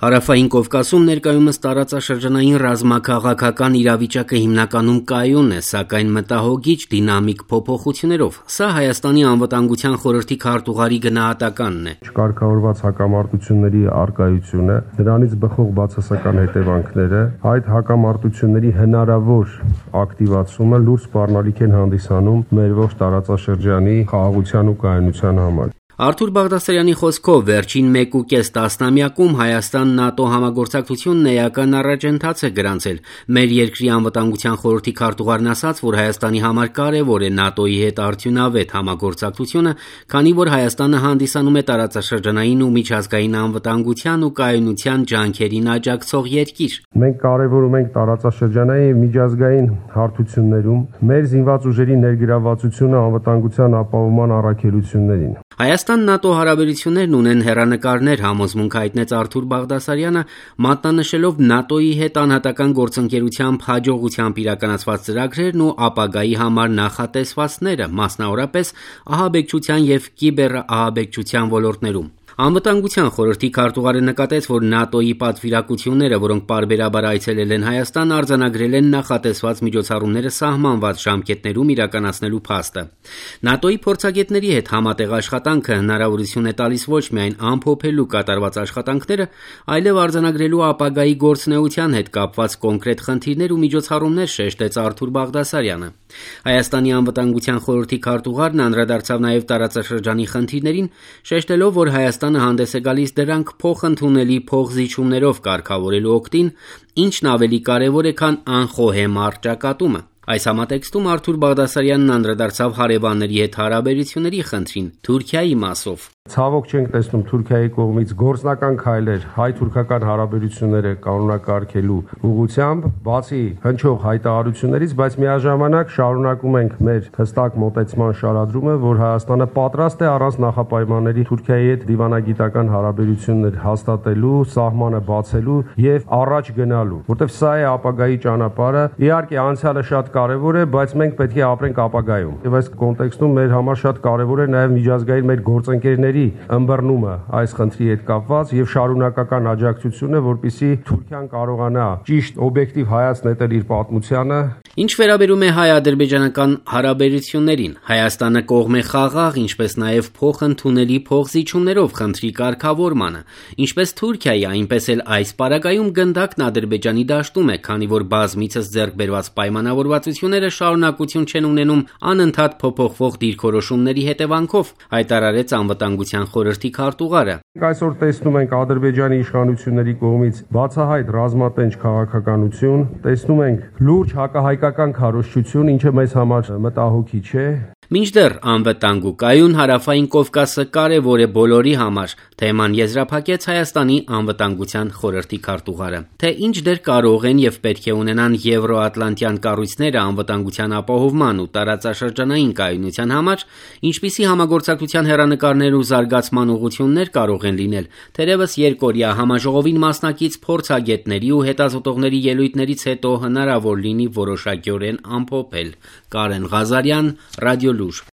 Հարավային Կովկասում ներկայումս տարածաշրջանային ռազմաքաղաքական իրավիճակը հիմնականում կայուն է, սակայն մտահոգիչ դինամիկ փոփոխություններով։ Սա Հայաստանի անվտանգության խորհրդի քարտուղարի գնահատականն է։ Չկարգավորված հակամարտությունների առկայությունը, դրանից բխող բացասական հետևանքները, այդ հակամարտությունների հնարավոր ակտիվացումը լուրջ սպառնալիք են հանդիսանում մեր ողջ տարածաշրջանի խաղաղության ու կայունության համար։ Արթուր Բաղդասարյանի խոսքով վերջին 1.5 տասնամյակում Հայաստան-ՆԱՏՕ համագործակցությունն էական առաջընթաց է գրանցել։ Մեր երկրի անվտանգության խորհրդի քարտուղարն ասաց, որ Հայաստանի համար կարևոր է ՆԱՏՕ-ի հետ արդյունավետ համագործակցությունը, քանի որ Հայաստանը հանդիսանում է տարածաշրջանային ու միջազգային անվտանգության ու կայունության ջանքերին աջակցող երկիր։ Մենք կարևորում ենք տարածաշրջանային միջազգային հարթություններում մեր զինված ուժերի ներգրավվածությունը անվտանգության ապահովման առաքելություններին։ Հայաստան-ՆԱՏՕ հարաբերություններն ունեն հեռանկարներ, համոզմունք հայտնեց Արթուր Բաղդասարյանը, մատնանշելով ՆԱՏՕ-ի հետ անհատական գործընկերությամբ հաջողությամբ իրականացված ծրագրերն ու ապագայի համար նախատեսվածները, մասնավորապես ահաբեկչության եւ կիբերահաբեկչության ոլորտներում։ Անվտանգության խորհրդի քարտուղարը նկատեց, որ ՆԱՏՕ-ի պատվիրակությունները, որոնք պարբերաբար այցելել են Հայաստան, արձանագրել են նախատեսված միջոցառումները սահմանված ժամկետներում իրականացնելու փաստը։ ՆԱՏՕ-ի փորձագետների հետ համատեղ աշխատանքը հնարավորություն է տալիս ոչ միայն ամփոփելու կատարված աշխատանքները, այլև արձանագրելու ապագայի գործունեության հետ կապված կոնկրետ խնդիրներ ու միջոցառումներ, շեշտեց Արթուր Բաղդասարյանը։ Հայաստանի անվտանգության խորհրդի քարտուղարն անդրադարձավ նաև տարածաշրջանի խնդիրներին, շեշտելով, որ Հայաստանը հանդես է գալիս դրանք փոխընդունելի փոխզիջումներով կարգավորելու օգտին, ինչն ավելի կարևոր է, քան անխոհեմ առճակատումը։ Այս համատեքստում Արթուր Բաղդասարյանն անդրադարձավ հարևանների հետ հարաբերությունների խնդրին Թուրքիայի մասով։ Ցավոք չենք տեսնում Թուրքիայի կողմից գործնական քայլեր հայ-թուրքական հարաբերությունները կանոնակարգելու ուղղությամբ, բացի հնչող հայտարարություններից, բայց միաժամանակ շարունակում ենք մեր հստակ մոտեցման շարադրումը, որ Հայաստանը պատրաստ է առանց նախապայմանների Թուրքիայի հետ դիվանագիտական հարաբերություններ հաստատելու, սահմանը բացելու եւ առաջ գնալու, որտեղ սա է ապագայի ճանապարհը։ Իհարկե անցյալը շատ կարևոր է, բայց մենք պետք է ապրենք ապագայում։ Եվ այս կոնտեքստում մեր համար շատ կարևոր է նաեւ միջազգային մեր գործընկերների ըմբռնումը այս խնդրի հետ կապված եւ շարունակական աջակցությունը, որպեսզի Թուրքիան կարողանա ճիշտ օբյեկտիվ հայացք նետել իր պատմությանը։ Ինչ վերաբերում է հայ-ադրբեջանական հարաբերություններին, Հայաստանը կողմ է խաղաղ, ինչպես նաև փոխընդունելի փոխզիջումներով խնդրի կարգավորմանը, ինչպես Թուրքիայի, այնպես էլ այս պարագայում գնդակն Ադրբեջանի դաշտում է, քանի որ բազմիցս ձեռք բերված պայմանավորվածությունները շարունակություն չեն ունենում անընդհատ փոփոխվող դիրքորոշումների հետևանքով, հայտարարեց անվտանգության խորհրդի քարտուղարը։ Այսօր տեսնում ենք Ադրբեջանի իշխանությունների կողմից բացահայտ ռազմատենչ քաղաքականություն, տեսնում ենք լուրջ հակահայկական քարոզչություն, ինչը մեզ համար մտահոգիչ է։ Մինչդեռ անվտանգ ու կայուն հարավային Կովկասը կարևոր է բոլորի համար, թեման եզրափակեց Հայաստանի անվտանգության խորհրդի քարտուղարը։ Թե ինչ դեր կարող են եւ պետք է ունենան եվրոատլանտյան կառույցները անվտանգության ապահովման ու տարածաշրջանային կայունության համար, ինչպիսի համագործակցության հեռանկարներ ու զարգացման ուղղություններ կարող են լինել, թերևս երկօրյա համաժողովին մասնակից փորձագետների ու հետազոտողների ելույթներից հետո հնարավոր լինի որոշակիորեն ամփոփել։ Կարեն Ղազարյան, Ռադիոլուր։